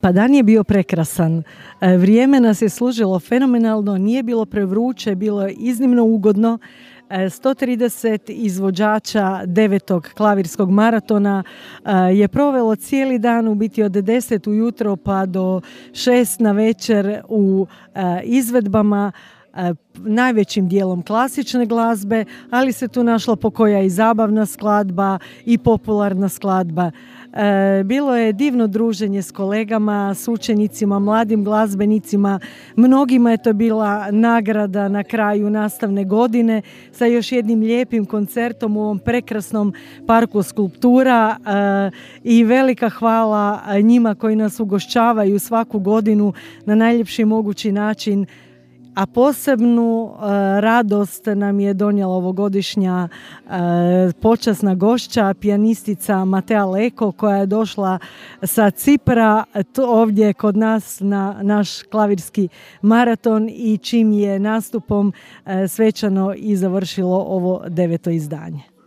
Pa dan je bio prekrasan. Vrijeme nas je služilo fenomenalno, nije bilo prevruće, bilo je iznimno ugodno. 130 izvođača 9. klavirskog maratona je provelo cijeli dan, u biti od 10 ujutro pa do 6 na večer u izvedbama, najvećim dijelom klasične glazbe, ali se tu našla pokoja i zabavna skladba i popularna skladba. Bilo je divno druženje s kolegama, s učenicima, mladim glazbenicima. Mnogima je to bila nagrada na kraju nastavne godine sa još jednim lijepim koncertom u ovom prekrasnom parku skulptura i velika hvala njima koji nas ugošćavaju svaku godinu na najljepši mogući način. A posebnu radost nam je donijela ovogodišnja počasna gošća, pijanistica Matea Leko, koja je došla sa Cipra ovdje kod nas na naš klavirski maraton i čim je nastupom svečano i završilo ovo 9. izdanje.